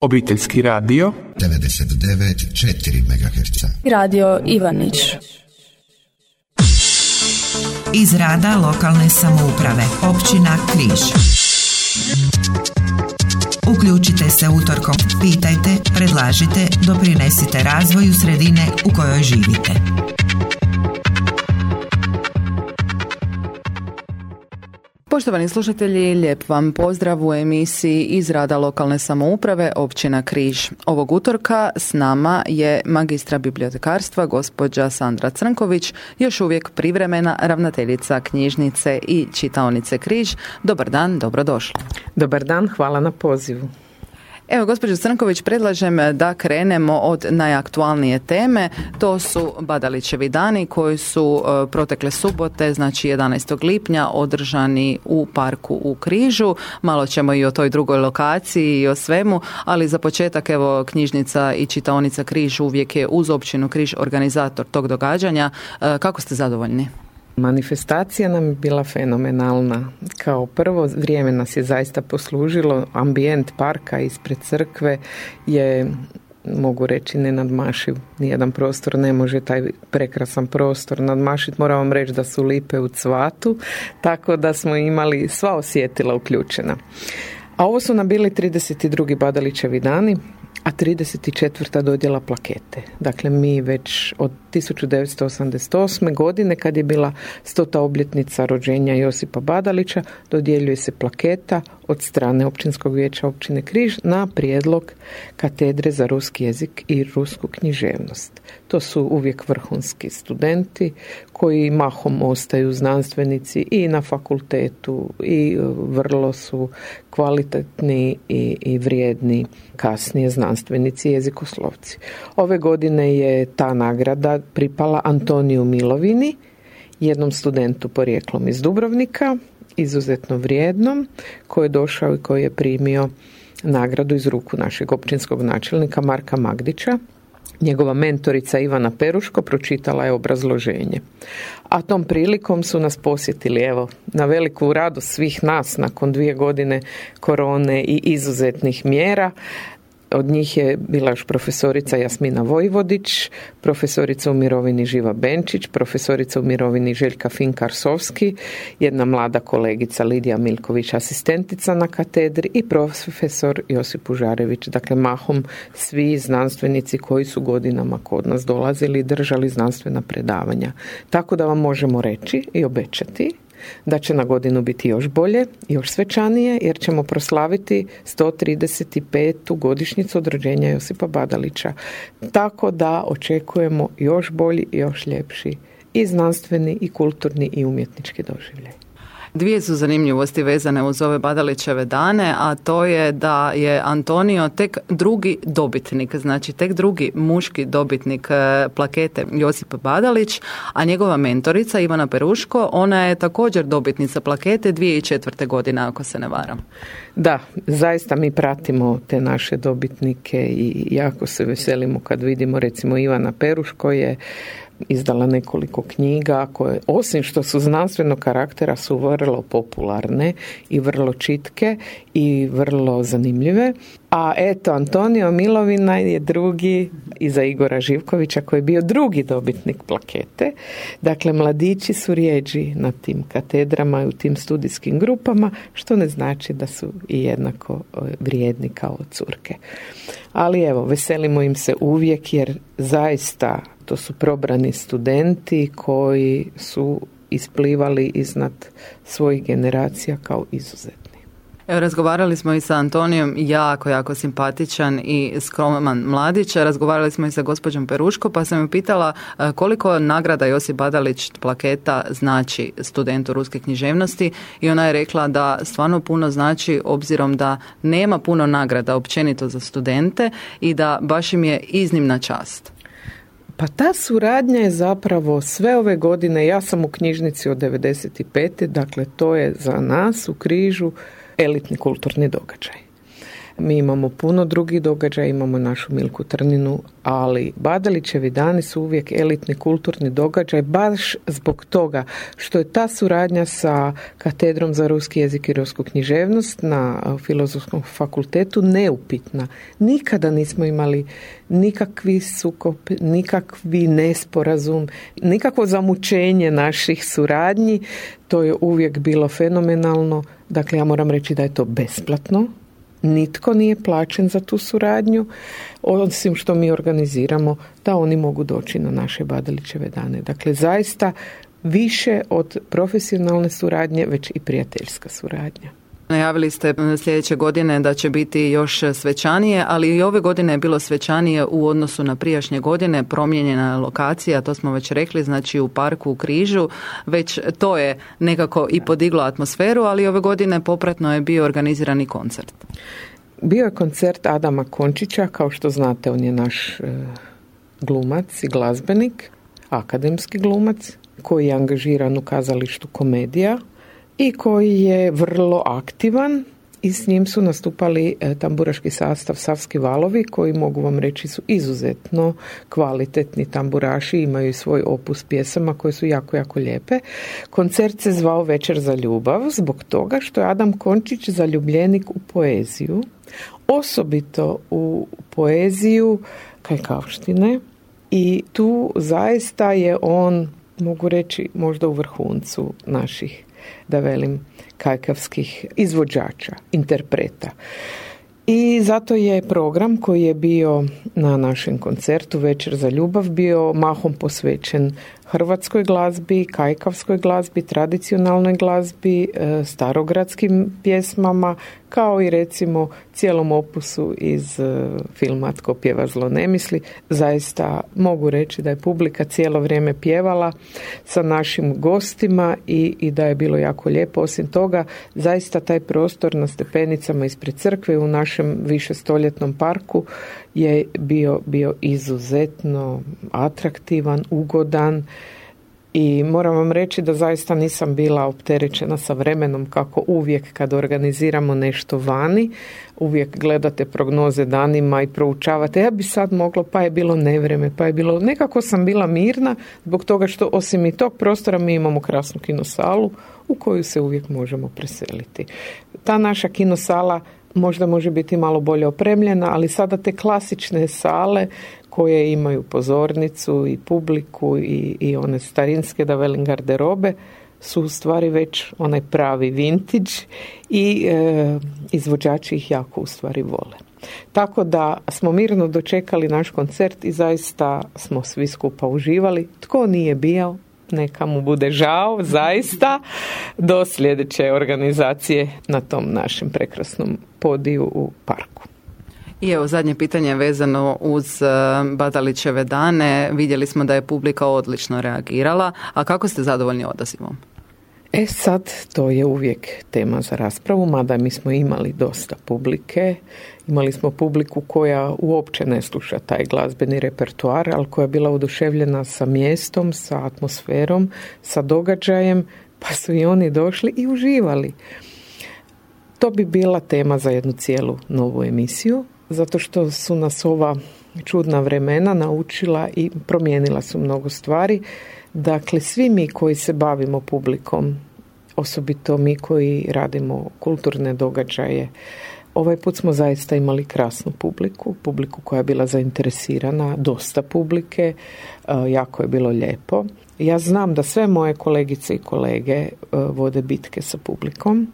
Obiteljski radio 99,4 MHz. Radio Ivanić. Iz rada lokalne samouprave, općina Križ. Uključite se utorkom, pitajte, predlažite, doprinesite razvoju sredine u kojoj živite. Poštovani slušatelji, lijep vam pozdrav u emisiji iz rada lokalne samouprave općina Križ. Ovog utorka s nama je magistra bibliotekarstva gospođa Sandra Crnković, još uvijek privremena ravnateljica knjižnice i čitaonice Križ. Dobar dan, dobrodošli. Dobar dan, hvala na pozivu. Evo, gospođo Crnković, predlažem da krenemo od najaktualnije teme. To su Badalićevi dani koji su protekle subote, znači 11. lipnja, održani u parku u Križu. Malo ćemo i o toj drugoj lokaciji i o svemu, ali za početak, evo, knjižnica i čitaonica Križ uvijek je uz općinu Križ organizator tog događanja. Kako ste zadovoljni? Manifestacija nam je bila fenomenalna. Kao prvo, vrijeme nas je zaista poslužilo. Ambijent parka ispred crkve je, mogu reći, nenadmašiv. Nijedan prostor ne može taj prekrasan prostor nadmašiti. Moram vam reći da su lipe u cvatu, tako da smo imali sva osjetila uključena. A ovo su nam bili 32. Badalićevi dani, a 34. dodjela plakete. Dakle, mi već od 1988. godine, kad je bila 100. obljetnica rođenja Josipa Badalića, dodjeljuje se plaketa od strane Općinskog vijeća općine Križ na prijedlog katedre za ruski jezik i rusku književnost. To su uvijek vrhunski studenti koji mahom ostaju znanstvenici i na fakultetu i vrlo su kvalitetni i vrijedni kasnije znanstvenici jezikoslovci. Ove godine je ta nagrada pripala Antoniju Milovini, jednom studentu porijeklom iz Dubrovnika, izuzetno vrijednom, koji je došao i koji je primio nagradu iz ruku našeg općinskog načelnika Marka Magdića. Njegova mentorica Ivana Peruško pročitala je obrazloženje. A tom prilikom su nas posjetili, evo, na veliku radost svih nas nakon 2 godine korone i izuzetnih mjera. Od njih je bila još profesorica Jasmina Vojvodić, profesorica u mirovini Živa Benčić, profesorica u mirovini Željka Finkarsovski, jedna mlada kolegica Lidija Milković, asistentica na katedri, i profesor Josip Užarević. Dakle, mahom svi znanstvenici koji su godinama kod nas dolazili i držali znanstvena predavanja. Tako da vam možemo reći i obećati da će na godinu biti još bolje, još svečanije, jer ćemo proslaviti 135. godišnjicu od rođenja Josipa Badalića. Tako da očekujemo još bolji i još ljepši i znanstveni i kulturni i umjetnički doživljaj. Dvije su zanimljivosti vezane uz ove Badalićeve dane, a to je da je Antonio tek drugi dobitnik, znači tek drugi muški dobitnik plakete Josip Badalić, a njegova mentorica Ivana Peruško, ona je također dobitnica plakete 2004. godine, ako se ne varam. Da, zaista mi pratimo te naše dobitnike i jako se veselimo kad vidimo, recimo, Ivana Peruško je izdala nekoliko knjiga koje, osim što su znanstvenog karaktera, su vrlo popularne i vrlo čitke i vrlo zanimljive. A eto, Antonio Milovina je drugi, iza Igora Živkovića, koji je bio drugi dobitnik plakete. Dakle, mladići su rijeđi na tim katedrama i u tim studijskim grupama, što ne znači da su i jednako vrijedni kao curke. Ali evo, veselimo im se uvijek, jer zaista to su probrani studenti koji su isplivali iznad svojih generacija kao izuzetni. Evo, razgovarali smo i sa Antonijom, jako simpatičan i skroman mladić. Razgovarali smo i sa gospođom Peruško, pa sam ju pitala koliko nagrada Josip Badalić plaketa znači studentu ruske književnosti, i ona je rekla da stvarno puno znači, obzirom da nema puno nagrada općenito za studente i da baš im je iznimna čast. Pa ta suradnja je zapravo sve ove godine, ja sam u knjižnici od 95. Dakle, to je za nas u Križu elitni kulturni događaj. Mi imamo puno drugih događaja, imamo našu Milku Trninu, ali Badalićevi dani su uvijek elitni kulturni događaj baš zbog toga što je ta suradnja sa Katedrom za ruski jezik i rusku književnost na Filozofskom fakultetu neupitna. Nikada nismo imali nikakvi sukob, nikakvi nesporazum, nikakvo zamućenje naših suradnji. To je uvijek bilo fenomenalno. Dakle, ja moram reći da je to besplatno. Nitko nije plaćen za tu suradnju, osim što mi organiziramo da oni mogu doći na naše Badalićeve dane. Dakle, zaista više od profesionalne suradnje, već i prijateljska suradnja. Najavili ste sljedeće godine da će biti još svečanije, ali i ove godine je bilo svečanije u odnosu na prijašnje godine, promijenjena lokacija, to smo već rekli, znači u parku u Križu, već to je nekako i podiglo atmosferu, ali ove godine popratno je bio organizirani koncert. Bio je koncert Adama Končića, kao što znate, on je naš glumac i glazbenik, akademski glumac, koji je angažiran u kazalištu Komedija i koji je vrlo aktivan i s njim su nastupali tamburaški sastav Savski valovi, koji mogu vam reći su izuzetno kvalitetni tamburaši, imaju i svoj opus pjesama koje su jako, jako lijepe. Koncert se zvao Večer za ljubav zbog toga što je Adam Končić zaljubljenik u poeziju, osobito u poeziju Kajkavštine, i tu zaista je on, mogu reći, možda u vrhuncu naših, da velim, kajkavskih izvođača, interpreta. I zato je program koji je bio na našem koncertu Večer za ljubav bio mahom posvećen hrvatskoj glazbi, kajkavskoj glazbi, tradicionalnoj glazbi, starogradskim pjesmama, kao i recimo cijelom opusu iz filma Tko pjeva zlo ne misli. Zaista mogu reći da je publika cijelo vrijeme pjevala sa našim gostima i da je bilo jako lijepo. Osim toga, zaista taj prostor na stepenicama ispred crkve u našem višestoljetnom parku je bio izuzetno atraktivan, ugodan, i moram vam reći da zaista nisam bila opterećena sa vremenom kako uvijek kad organiziramo nešto vani. Uvijek gledate prognoze danima i proučavate, ja bi sad moglo, pa je bilo nevreme, pa je bilo, nekako sam bila mirna zbog toga što osim i tog prostora mi imamo krasnu kinosalu u koju se uvijek možemo preseliti. Ta naša kinosala možda može biti malo bolje opremljena, ali sada te klasične sale koje imaju pozornicu i publiku i one starinske, da velim, garderobe, su u stvari već onaj pravi vintage i izvođači ih jako u stvari vole. Tako da smo mirno dočekali naš koncert i zaista smo svi skupa uživali. Tko nije bio, neka mu bude žao, zaista, do sljedeće organizacije na tom našem prekrasnom podiju u parku. I evo, zadnje pitanje vezano uz Badalićeve dane. Vidjeli smo da je publika odlično reagirala, a kako ste zadovoljni odazivom? Sad, to je uvijek tema za raspravu, mada mi smo imali dosta publike. Imali smo publiku koja uopće ne sluša taj glazbeni repertoar, ali koja je bila oduševljena sa mjestom, sa atmosferom, sa događajem, pa su i oni došli i uživali. To bi bila tema za jednu cijelu novu emisiju, zato što su nas ova čudna vremena naučila i promijenila su mnogo stvari. Dakle, svi mi koji se bavimo publikom, osobito mi koji radimo kulturne događaje, ovaj put smo zaista imali krasnu publiku koja je bila zainteresirana, dosta publike, jako je bilo lijepo. Ja znam da sve moje kolegice i kolege vode bitke sa publikom,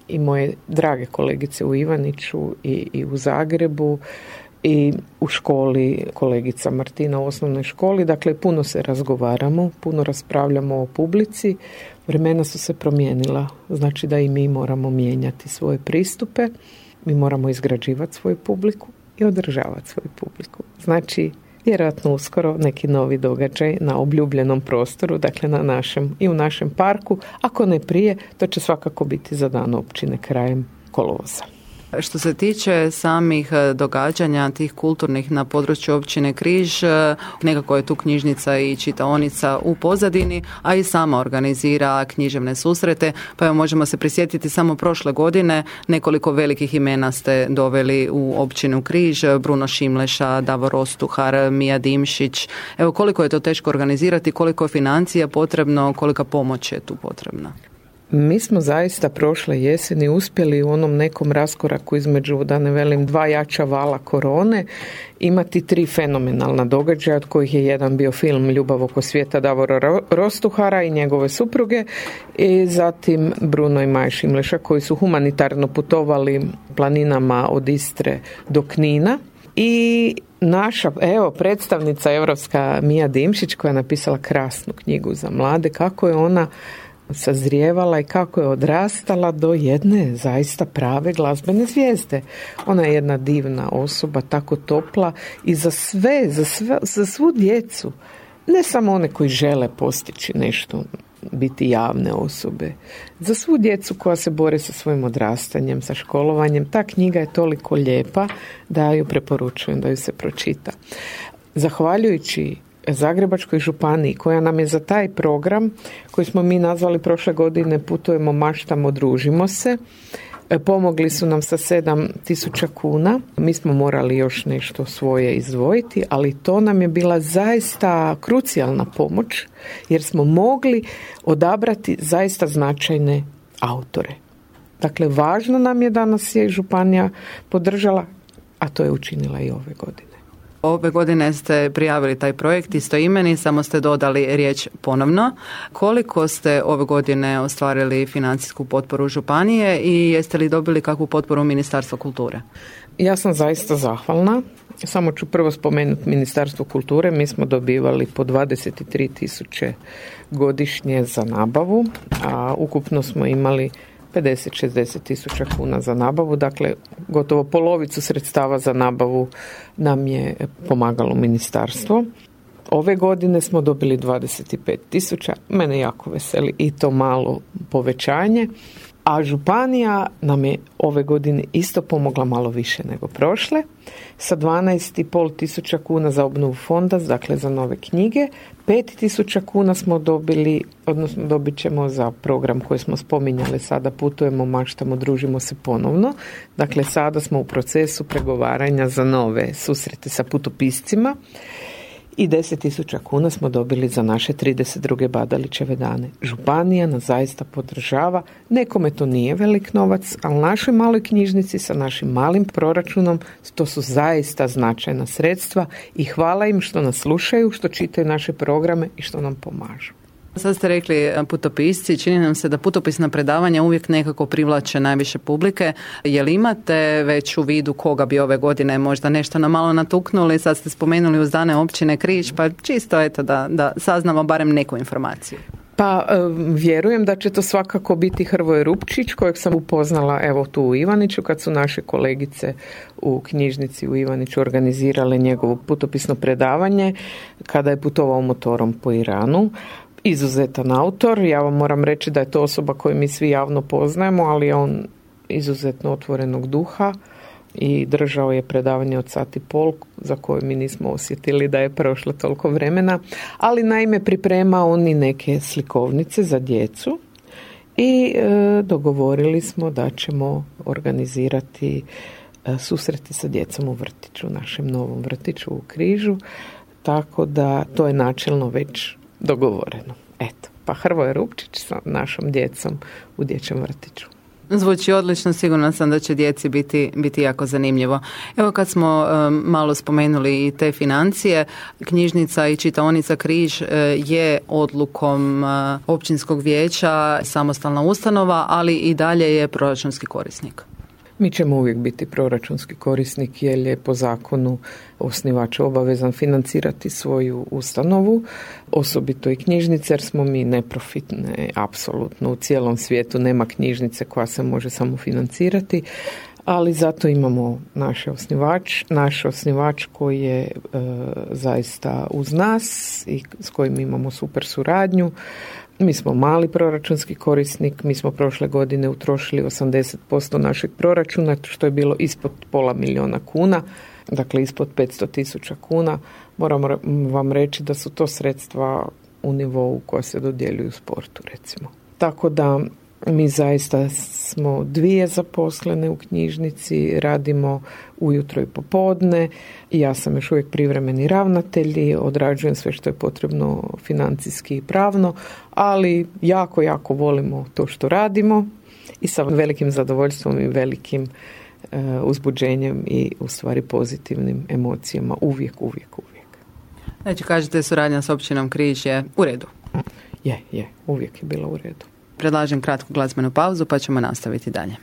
i moje drage kolegice u Ivaniću i u Zagrebu i u školi, kolegica Martina u osnovnoj školi. Dakle, puno se razgovaramo, puno raspravljamo o publici. Vremena su se promijenila, znači da i mi moramo mijenjati svoje pristupe, mi moramo izgrađivati svoju publiku i održavati svoju publiku. Znači, vjerojatno uskoro neki novi događaj na obljubljenom prostoru, dakle na našem i u našem parku. Ako ne prije, to će svakako biti za dan općine krajem kolovoza. Što se tiče samih događanja tih kulturnih na području općine Križ, nekako je tu knjižnica i čitaonica u pozadini, a i sama organizira književne susrete, pa evo možemo se prisjetiti samo prošle godine nekoliko velikih imena ste doveli u općinu Križ, Bruno Šimleša, Davor Ostuhar, Mija Dimšić. Evo koliko je to teško organizirati, koliko je financija potrebno, kolika pomoć je tu potrebna? Mi smo zaista prošle jeseni uspjeli u onom nekom raskoraku između, da ne velim, 2 jača vala korone, imati 3 fenomenalna događaja, od kojih je jedan bio film Ljubav oko svijeta Davora Rostuhara i njegove supruge, i zatim Bruno i Maja Šimleša koji su humanitarno putovali planinama od Istre do Knina. I naša, predstavnica europska Mija Dimšić koja je napisala krasnu knjigu za mlade, kako je ona sazrijevala i kako je odrastala do jedne zaista prave glazbene zvijezde. Ona je jedna divna osoba, tako topla i za svu djecu, ne samo one koji žele postići nešto, biti javne osobe, za svu djecu koja se bore sa svojim odrastanjem, sa školovanjem. Ta knjiga je toliko lijepa da ju preporučujem da ju se pročita. Zahvaljujući Zagrebačkoj županiji koja nam je za taj program koji smo mi nazvali prošle godine Putujemo, maštamo, družimo se, pomogli su nam sa 7.000 kuna. Mi smo morali još nešto svoje izdvojiti, ali to nam je bila zaista krucijalna pomoć jer smo mogli odabrati zaista značajne autore. Dakle, važno nam je da nas je županija podržala, a to je učinila i ove godine. Ove godine ste prijavili taj projekt istoimeni, samo ste dodali riječ ponovno. Koliko ste ove godine ostvarili financijsku potporu županije i jeste li dobili kakvu potporu Ministarstva kulture? Ja sam zaista zahvalna. Samo ću prvo spomenuti Ministarstvo kulture. Mi smo dobivali po 23.000 godišnje za nabavu, a ukupno smo imali 50-60 tisuća kuna za nabavu, dakle gotovo polovicu sredstava za nabavu nam je pomagalo ministarstvo. Ove godine smo dobili 25 tisuća, mene jako veseli i to malo povećanje, a županija nam je ove godine isto pomogla malo više nego prošle, sa 12,5 tisuća kuna za obnovu fonda, dakle za nove knjige, 5 tisuća kuna smo dobili, odnosno dobit ćemo za program koji smo spominjali sada, Putujemo, maštamo, družimo se ponovno. Dakle, sada smo u procesu pregovaranja za nove susrete sa putopiscima i 10.000 kuna smo dobili za naše 32. Badalićeve dane. Županija nas zaista podržava. Nekome to nije velik novac, ali našoj maloj knjižnici sa našim malim proračunom to su zaista značajna sredstva i hvala im što nas slušaju, što čitaju naše programe i što nam pomažu. Sad ste rekli putopisci, čini nam se da putopisna predavanja uvijek nekako privlače najviše publike. Je li imate već u vidu koga bi ove godine možda nešto nam malo natuknuli? Sad ste spomenuli uz dane općine Križ, pa čisto eto da saznamo barem neku informaciju. Pa vjerujem da će to svakako biti Hrvoje Rupčić, kojeg sam upoznala evo tu u Ivaniću kad su naše kolegice u knjižnici u Ivaniću organizirale njegovo putopisno predavanje kada je putovao motorom po Iranu. Izuzetan autor, ja vam moram reći da je to osoba koju mi svi javno poznajemo, ali je on izuzetno otvorenog duha i držao je predavanje od 1,5 sata za koje mi nismo osjetili da je prošlo toliko vremena, ali naime priprema on i neke slikovnice za djecu i dogovorili smo da ćemo organizirati susreti sa djecom u vrtiću, našem novom vrtiću u Križu, tako da to je načelno već dogovoreno. Eto, pa Hrvoje Rupčić sa našom djecom u dječjem vrtiću. Zvuči odlično, sigurno sam da će djeci biti jako zanimljivo. Evo kad smo malo spomenuli i te financije, knjižnica i čitaonica Križ je odlukom općinskog vijeća samostalna ustanova, ali i dalje je proračunski korisnik. Mi ćemo uvijek biti proračunski korisnik jer je po zakonu osnivač obavezan financirati svoju ustanovu, osobito i knjižnice jer smo mi neprofitne, apsolutno u cijelom svijetu nema knjižnice koja se može samo financirati, ali zato imamo naš osnivač koji je zaista uz nas i s kojim imamo super suradnju. Mi smo mali proračunski korisnik, mi smo prošle godine utrošili 80% našeg proračuna, što je bilo ispod $500,000 kuna, dakle ispod 500,000 kuna. Moram vam reći da su to sredstva u nivou koja se dodjeljuju sportu, recimo. Tako da mi zaista smo 2 zaposlene u knjižnici, radimo ujutro i popodne. Ja sam još uvijek privremeni ravnatelj i odrađujem sve što je potrebno financijski i pravno, ali jako, jako volimo to što radimo i sa velikim zadovoljstvom i velikim uzbuđenjem i u stvari pozitivnim emocijama uvijek. Znači, kažete, suradnja s općinom Križ je u redu? Je, uvijek je bila u redu. Predlažem kratku glazbenu pauzu pa ćemo nastaviti dalje.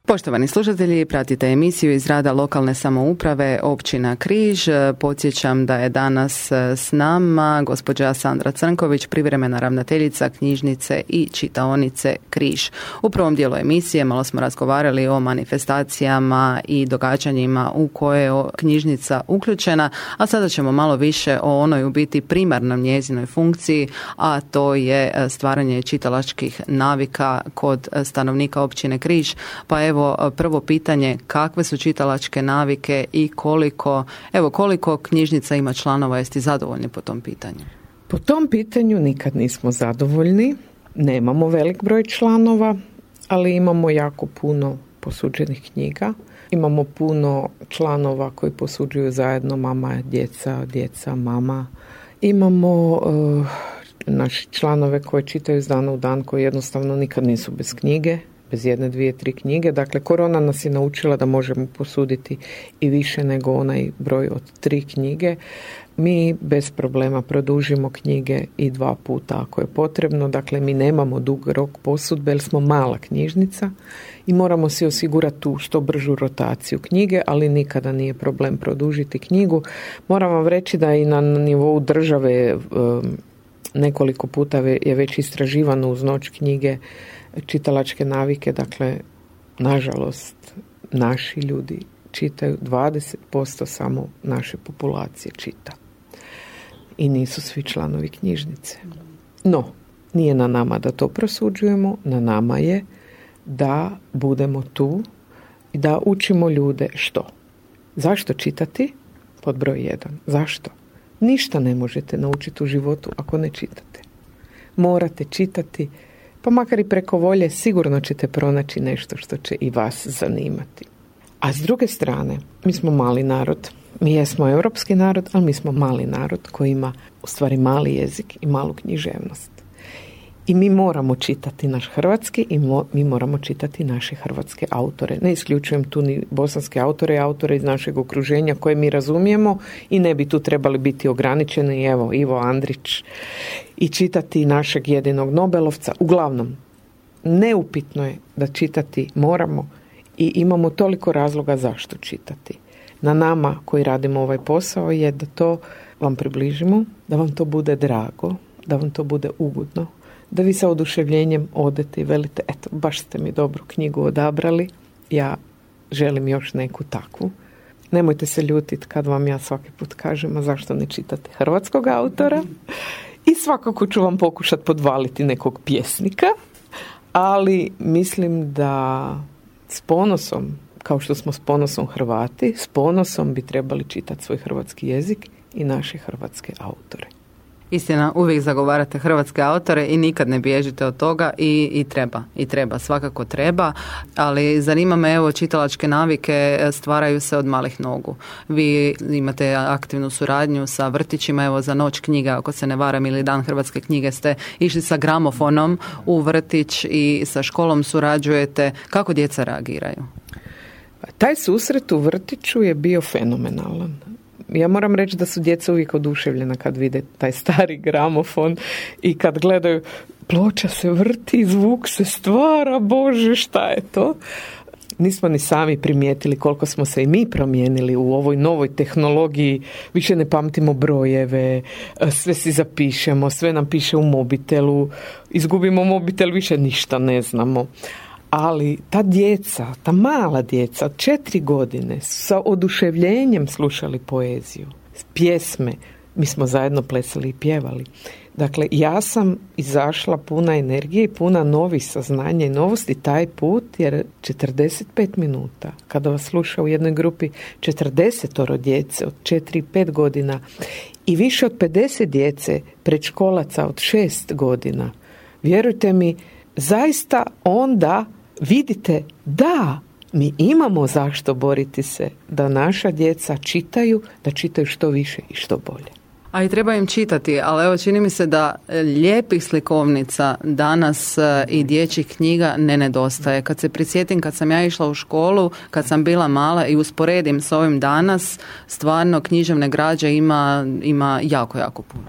Poštovani slušatelji, pratite emisiju iz rada lokalne samouprave općina Križ. Podsjećam da je danas s nama gospođa Sandra Crnković, privremena ravnateljica knjižnice i čitaonice Križ. U prvom dijelu emisije malo smo razgovarali o manifestacijama i događanjima u koje je knjižnica uključena, a sada ćemo malo više o onoj u biti primarnom njezinoj funkciji, a to je stvaranje čitalačkih navika kod stanovnika općine Križ. Pa evo, prvo pitanje, kakve su čitalačke navike i koliko knjižnica ima članova, jeste zadovoljni po tom pitanju? Po tom pitanju nikad nismo zadovoljni, nemamo velik broj članova, ali imamo jako puno posuđenih knjiga. Imamo puno članova koji posuđuju zajedno, mama, djeca, mama. Imamo naši članove koji čitaju iz dana u dan, koji jednostavno nikad nisu bez knjige, bez 1, 2, 3 knjige. Dakle, korona nas je naučila da možemo posuditi i više nego onaj broj od 3 knjige. Mi bez problema produžimo knjige i 2 puta ako je potrebno. Dakle, mi nemamo dug rok posudbe jer smo mala knjižnica i moramo si osigurati tu što bržu rotaciju knjige, ali nikada nije problem produžiti knjigu. Moram vam reći da i na nivou države nekoliko puta je već istraživano uz noć knjige čitalačke navike. Dakle, nažalost, naši ljudi čitaju, 20% samo naše populacije čita. i nisu svi članovi knjižnice. No, nije na nama da to prosuđujemo, na nama je da budemo tu i da učimo ljude što? Zašto čitati? Pod broj 1. Zašto? Ništa ne možete naučiti u životu ako ne čitate. Morate čitati, pa makar i preko volje sigurno ćete pronaći nešto što će i vas zanimati. A s druge strane, mi smo mali narod. Mi jesmo europski narod, ali mi smo mali narod koji ima u stvari mali jezik i malu književnost. I mi moramo čitati naš hrvatski i mi moramo čitati naše hrvatske autore. Ne isključujem tu ni bosanske autore, autore iz našeg okruženja koje mi razumijemo i ne bi tu trebali biti ograničeni. Evo, Ivo Andrić i čitati našeg jedinog Nobelovca. Uglavnom, neupitno je da čitati moramo i imamo toliko razloga zašto čitati. Na nama koji radimo ovaj posao je da to vam približimo, da vam to bude drago, da vam to bude ugodno, da vi sa oduševljenjem odete i velite, eto, baš ste mi dobru knjigu odabrali, ja želim još neku takvu. Nemojte se ljutiti kad vam ja svaki put kažem, a zašto ne čitate hrvatskog autora? I svakako ću vam pokušati podvaliti nekog pjesnika, ali mislim da s ponosom, kao što smo s ponosom Hrvati, s ponosom bi trebali čitati svoj hrvatski jezik i naše hrvatske autore. Istina, uvijek zagovarate hrvatske autore i nikad ne bježite od toga i treba, svakako treba, ali zanima me, evo, čitalačke navike stvaraju se od malih nogu. Vi imate aktivnu suradnju sa vrtićima, evo za Noć knjige, ako se ne varam, ili Dan hrvatske knjige ste išli sa gramofonom u vrtić i sa školom surađujete. Kako djeca reagiraju? Taj susret u vrtiću je bio fenomenalan. Ja moram reći da su djeca uvijek oduševljena kad vide taj stari gramofon i kad gledaju ploča se vrti, zvuk se stvara, Bože, šta je to? Nismo ni sami primijetili koliko smo se i mi promijenili u ovoj novoj tehnologiji. Više ne pamtimo brojeve, sve si zapišemo, sve nam piše u mobitelu, izgubimo mobitel, više ništa ne znamo. Ali ta djeca, ta mala djeca, 4 godine sa oduševljenjem slušali poeziju, pjesme, mi smo zajedno plesali i pjevali. Dakle, ja sam izašla puna energije i puna novih saznanja i novosti taj put, jer 45 minuta, kada vas sluša u jednoj grupi 40 djece od 4 i 5 godina i više od 50 djece predškolaca od 6 godina, vjerujte mi, zaista onda vidite da mi imamo zašto boriti se da naša djeca čitaju, da čitaju što više i što bolje. A i treba im čitati, ali evo čini mi se da lijepih slikovnica danas i dječjih knjiga ne nedostaje. Kad se prisjetim, kad sam ja išla u školu, kad sam bila mala i usporedim s ovim danas, stvarno književne građe ima jako, jako puno.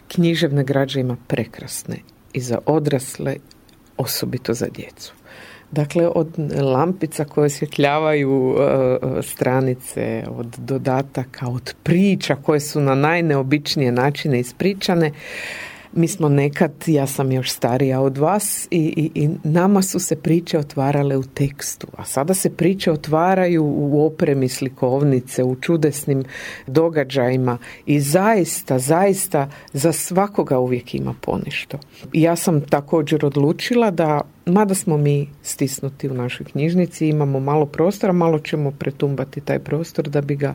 Književne građe ima prekrasne i za odrasle, osobito za djecu. Dakle, od lampica koje osvjetljavaju stranice, od dodataka, od priča koje su na najneobičnije načine ispričane. Mi smo nekad, ja sam još starija od vas i nama su se priče otvarale u tekstu, a sada se priče otvaraju u opremi slikovnice, u čudesnim događajima i zaista za svakoga uvijek ima ponešto. Ja sam također odlučila da, mada smo mi stisnuti u našoj knjižnici, imamo malo prostora, malo ćemo pretumbati taj prostor da bi ga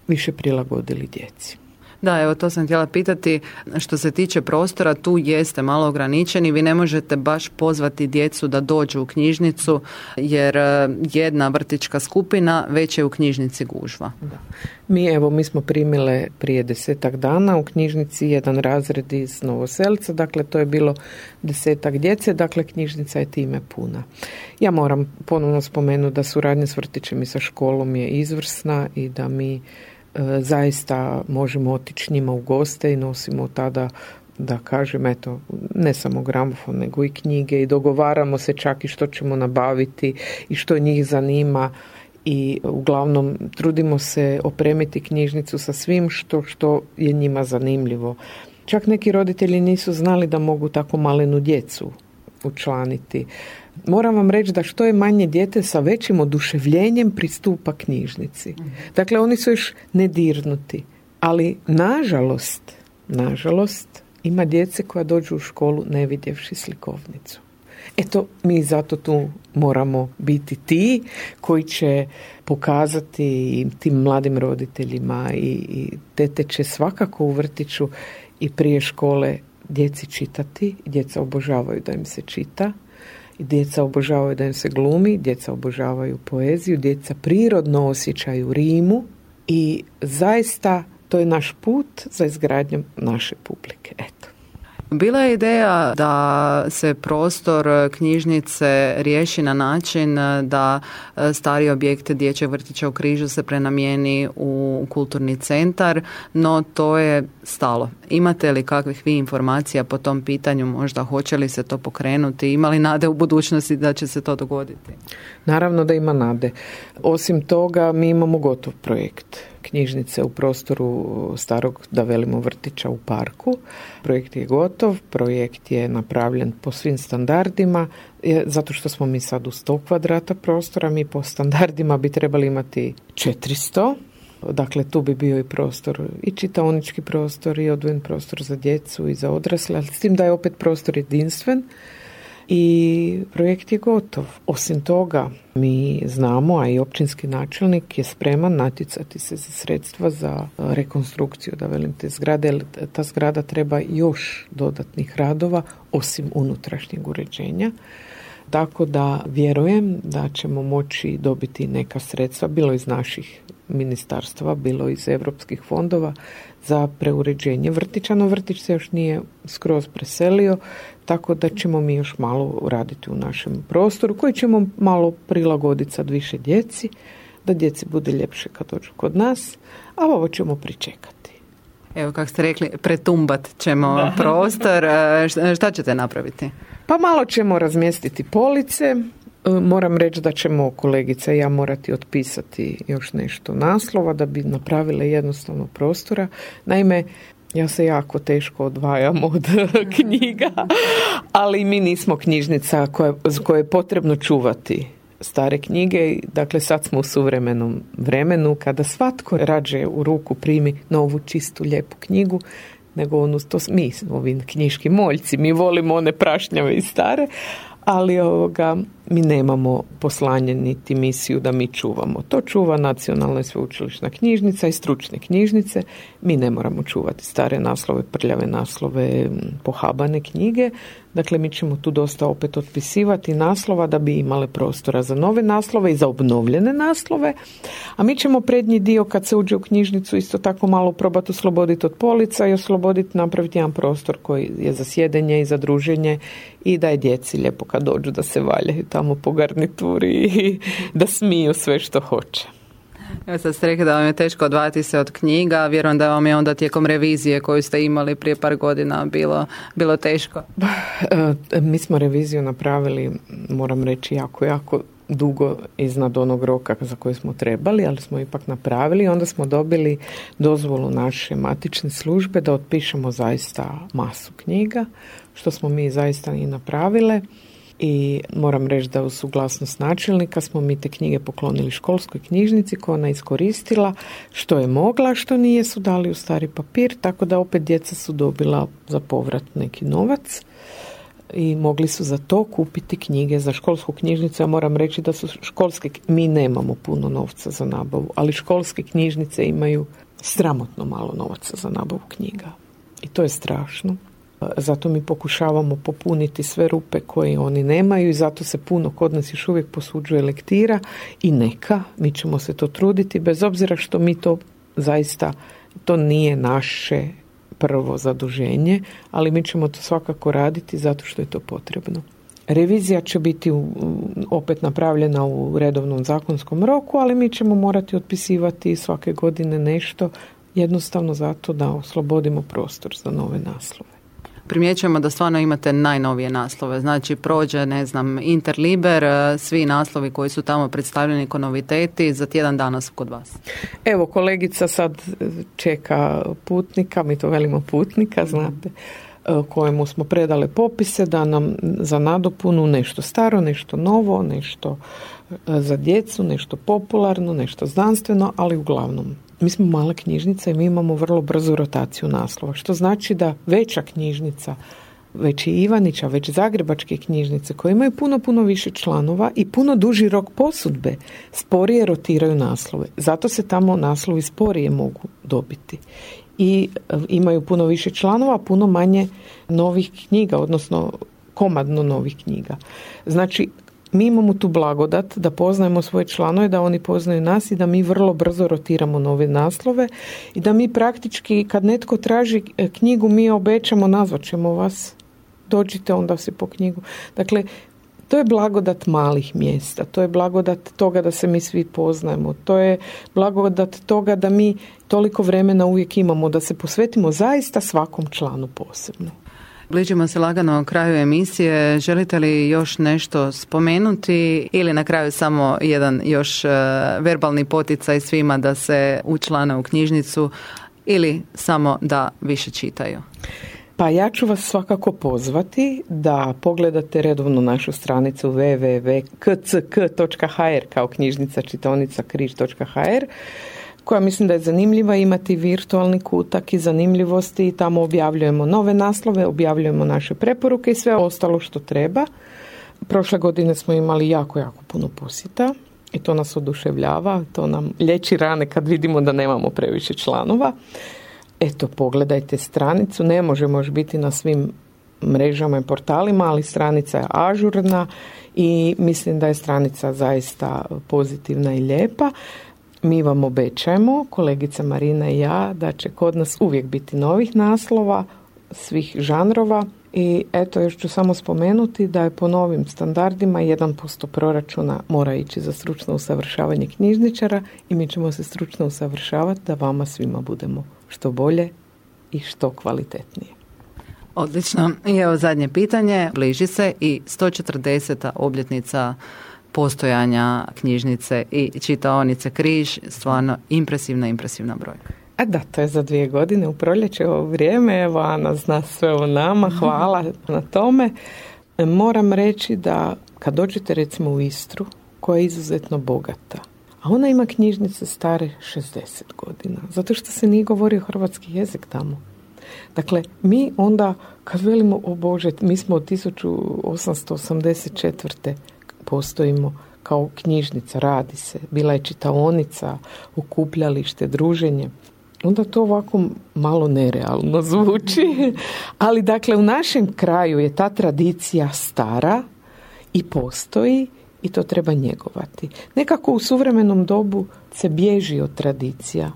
više prilagodili djeci. Da, evo to sam htjela pitati, što se tiče prostora, tu jeste malo ograničeni, vi ne možete baš pozvati djecu da dođu u knjižnicu, jer jedna vrtićka skupina već je u knjižnici gužva. Da. Mi smo primile prije 10 dana u knjižnici jedan razred iz Novoselca, dakle to je bilo 10 djece, dakle knjižnica je time puna. Ja moram ponovno spomenuti da suradnja s vrtićem i sa školom je izvrsna i da mi zaista možemo otići njima u goste i nosimo tada, da kažem, eto, ne samo gramofon, nego i knjige i dogovaramo se čak i što ćemo nabaviti i što njih zanima i uglavnom trudimo se opremiti knjižnicu sa svim što je njima zanimljivo. Čak neki roditelji nisu znali da mogu tako malenu djecu učlaniti. Moram vam reći da što je manje dijete sa većim oduševljenjem pristupa knjižnici. Dakle, oni su još nedirnuti. Ali, nažalost, nažalost, ima djece koja dođu u školu ne vidjevši slikovnicu. Eto, mi zato tu moramo biti ti koji će pokazati tim mladim roditeljima i tete će svakako u vrtiću i prije škole djeci čitati. Djeca obožavaju da im se čita, djeca obožavaju da im se glumi, djeca obožavaju poeziju, djeca prirodno osjećaju rimu i zaista to je naš put za izgradnjom naše publike. Eto. Bila je ideja da se prostor knjižnice riješi na način da stari objekt dječjeg vrtića u Križu se prenamijeni u kulturni centar, no to je stalo. Imate li kakvih vi informacija po tom pitanju, možda hoće li se to pokrenuti, ima li nade u budućnosti da će se to dogoditi? Naravno da ima nade. Osim toga, mi imamo gotov projekt knjižnice u prostoru starog, da velimo, vrtića u parku. Projekt je gotov, projekt je napravljen po svim standardima, zato što smo mi sad u 100 kvadrata prostora, mi po standardima bi trebali imati 400. Dakle, tu bi bio i prostor, i čitaonički prostor, i odvojen prostor za djecu i za odrasle, ali s tim da je opet prostor jedinstven. I projekt je gotov. Osim toga, mi znamo, a i općinski načelnik je spreman natjecati se za sredstva za rekonstrukciju, da velim, te zgrade, jer ta zgrada treba još dodatnih radova, osim unutrašnjeg uređenja. Tako da vjerujem da ćemo moći dobiti neka sredstva, bilo iz naših ministarstva, bilo iz europskih fondova, za preuređenje vrtića, no vrtić se još nije skroz preselio, tako da ćemo mi još malo raditi u našem prostoru, koji ćemo malo prilagoditi sad više djeci, da djeci bude ljepše kad dođu kod nas, a ovo ćemo pričekati. Evo, kako ste rekli, pretumbat ćemo prostor. Šta ćete napraviti? Pa malo ćemo razmjestiti police. Moram reći da ćemo kolegica i ja morati otpisati još nešto naslova da bi napravile jednostavno prostora. Naime, ja se jako teško odvajam od knjiga, ali mi nismo knjižnica koje je potrebno čuvati stare knjige. Dakle, sad smo u suvremenom vremenu kada svatko rađe u ruku primi novu, čistu, lijepu knjigu, nego mi smo ovi knjiški moljci, mi volimo one prašnjave i stare, ali mi nemamo poslanje niti misiju da mi čuvamo. To čuva Nacionalna i sveučilišna knjižnica i stručne knjižnice. Mi ne moramo čuvati stare naslove, prljave naslove, pohabane knjige. Dakle, mi ćemo tu dosta opet otpisivati naslova da bi imale prostora za nove naslove i za obnovljene naslove. A mi ćemo prednji dio, kad se uđe u knjižnicu, isto tako malo probati osloboditi od polica i osloboditi, napraviti jedan prostor koji je za sjedenje i za druženje i da je djeci lijepo kad dođu da se valjaju tamo po garnituri i da smiju sve što hoće. Evo, sad ste rekli da vam je teško odvajati se od knjiga, vjerujem da vam je onda tijekom revizije koju ste imali prije par godina bilo teško. Mi smo reviziju napravili, moram reći, jako dugo iznad onog roka za koji smo trebali, ali smo ipak napravili. Onda smo dobili dozvolu naše matične službe da otpišemo zaista masu knjiga, što smo mi zaista i napravile. I moram reći da uz suglasnost načelnika smo mi te knjige poklonili školskoj knjižnici koja ona iskoristila što je mogla, što nije, su dali u stari papir, tako da opet djeca su dobila za povrat neki novac i mogli su za to kupiti knjige za školsku knjižnicu. Ja moram reći da su mi nemamo puno novca za nabavu, ali školske knjižnice imaju sramotno malo novaca za nabavu knjiga. I to je strašno. Zato mi pokušavamo popuniti sve rupe koje oni nemaju i zato se puno kod nas još uvijek posuđuje lektira i mi ćemo se to truditi, bez obzira što mi to zaista, to nije naše prvo zaduženje, ali mi ćemo to svakako raditi zato što je to potrebno. Revizija će biti opet napravljena u redovnom zakonskom roku, ali mi ćemo morati otpisivati svake godine nešto, jednostavno zato da oslobodimo prostor za nove naslove. Primjećujemo da stvarno imate najnovije naslove, znači prođe, Interliber, svi naslovi koji su tamo predstavljeni kao noviteti, za tjedan dana su kod vas. Evo, kolegica sad čeka putnika, mi to velimo putnika, znate, kojemu smo predale popise da nam za nadopunu nešto staro, nešto novo, nešto za djecu, nešto popularno, nešto znanstveno, ali uglavnom mi smo mala knjižnica i mi imamo vrlo brzu rotaciju naslova, što znači da veća knjižnica, već i Ivanića, već zagrebačke knjižnice koje imaju puno više članova i puno duži rok posudbe, sporije rotiraju naslove. Zato se tamo naslovi sporije mogu dobiti. I imaju puno više članova, puno manje novih knjiga, odnosno komadno novih knjiga. Znači, mi imamo tu blagodat da poznajemo svoje članove, da oni poznaju nas i da mi vrlo brzo rotiramo nove naslove i da mi praktički kad netko traži knjigu mi obećamo, nazvat ćemo vas, dođite onda se po knjigu. Dakle, to je blagodat malih mjesta, to je blagodat toga da se mi svi poznajemo, to je blagodat toga da mi toliko vremena uvijek imamo, da se posvetimo zaista svakom članu posebno. Bližimo se lagano kraju emisije. Želite li još nešto spomenuti ili na kraju samo jedan još verbalni poticaj svima da se učlane u knjižnicu ili samo da više čitaju? Pa ja ću vas svakako pozvati da pogledate redovno našu stranicu www.kck.hr kao knjižnica čitaonica križ.hr, koja mislim da je zanimljiva, imati virtualni kutak i zanimljivosti i tamo objavljujemo nove naslove, objavljujemo naše preporuke i sve ostalo što treba. Prošle godine smo imali jako puno posjeta i to nas oduševljava, to nam liječi rane kad vidimo da nemamo previše članova. Eto, pogledajte stranicu, ne možemo još biti na svim mrežama i portalima, ali stranica je ažurna i mislim da je stranica zaista pozitivna i lijepa. Mi vam obećajemo, kolegica Marina i ja, da će kod nas uvijek biti novih naslova, svih žanrova i eto još ću samo spomenuti da je po novim standardima 1% proračuna mora ići za stručno usavršavanje knjižničara i mi ćemo se stručno usavršavati da vama svima budemo što bolje i što kvalitetnije. Odlično. I evo zadnje pitanje. Bliži se i 140. obljetnica postojanja knjižnice i čitaonice Križ. Stvarno impresivna brojka. A da, to je za 2 godine u proljeće ovo vrijeme. Evo, Ana zna sve o nama. Hvala na tome. Moram reći da kad dođete recimo u Istru, koja je izuzetno bogata, a ona ima knjižnice stare 60 godina, zato što se nije govorio hrvatski jezik tamo. Dakle, mi onda, kad velimo, o Bože, mi smo od 1884. postojimo kao knjižnica, radi se, bila je čitaonica, okupljalište, druženje. Onda to ovako malo nerealno zvuči, ali dakle u našem kraju je ta tradicija stara i postoji i to treba njegovati. Nekako u suvremenom dobu se bježi od tradicija.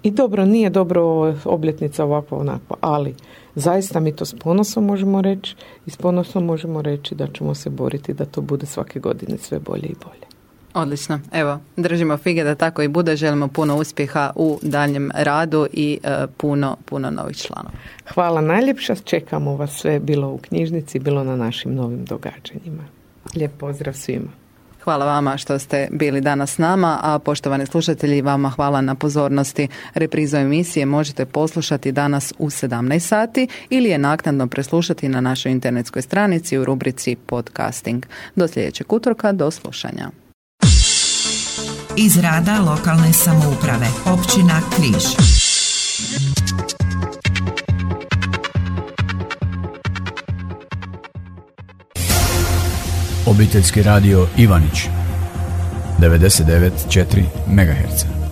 I dobro, nije dobro obljetnica ovakva onakva, ali zaista mi to s ponosom možemo reći i s ponosom možemo reći da ćemo se boriti da to bude svake godine sve bolje i bolje. Odlično. Evo, držimo fige da tako i bude. Želimo puno uspjeha u daljem radu i puno novih članova. Hvala najljepša. Čekamo vas sve, bilo u knjižnici, bilo na našim novim događanjima. Lijep pozdrav svima. Hvala vama što ste bili danas s nama, a poštovani slušatelji, vama hvala na pozornosti. Reprizu emisije možete poslušati danas u 17 sati ili je naknadno preslušati na našoj internetskoj stranici u rubrici podcasting. Do sljedećeg utorka, do slušanja. Iz rada lokalne samouprave, općina Križ. Obiteljski radio Ivanić 99,4 MHz.